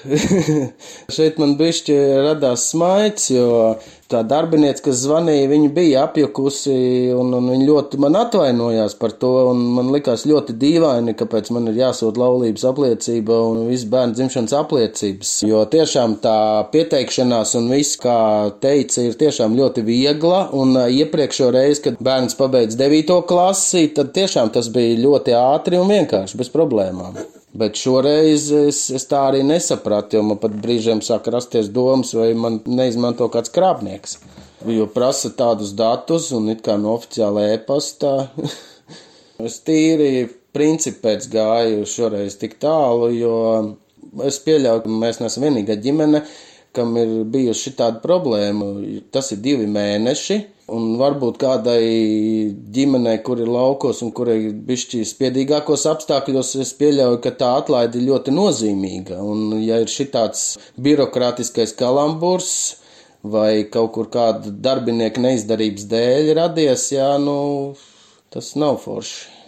Šeit man bišķi radās smaids, jo tā darbiniece, kas zvanīja, viņa bija apjukusi un viņa ļoti man atvainojās par to, un man likās ļoti dīvaini, kāpēc man ir jāsūt laulības apliecība un viss bērnu dzimšanas apliecības, jo tiešām tā pieteikšanās un viss, kā teica, ir tiešām ļoti viegla, un iepriekšo reizi, kad bērns pabeidz 9. klasi, tad tiešām tas bija ļoti ātri un vienkārši, bez problēmām. Bet šoreiz es tā arī nesapratu, jo man pat brīžiem sāka rasties domas, vai man neizmanto kāds krāpnieks. Jo prasa tādus datus un it kā no oficiāla e-pasta. Es tīri principu pēc gāju šoreiz tik tālu, jo es pieļauju, ka mēs neesam vienīgā ģimene, kam ir bijusi šitāda problēma. Tas ir 2 mēneši. Un varbūt kādai ģimenei, kur ir laukos un kur ir bišķi spiedīgākos apstākļos, es pieļauju, ka tā atlaide ir ļoti nozīmīga. Un ja ir šitāds birokrātiskais kalamburs vai kaut kur kāda darbinieka neizdarības dēļ radies, tas nav forši.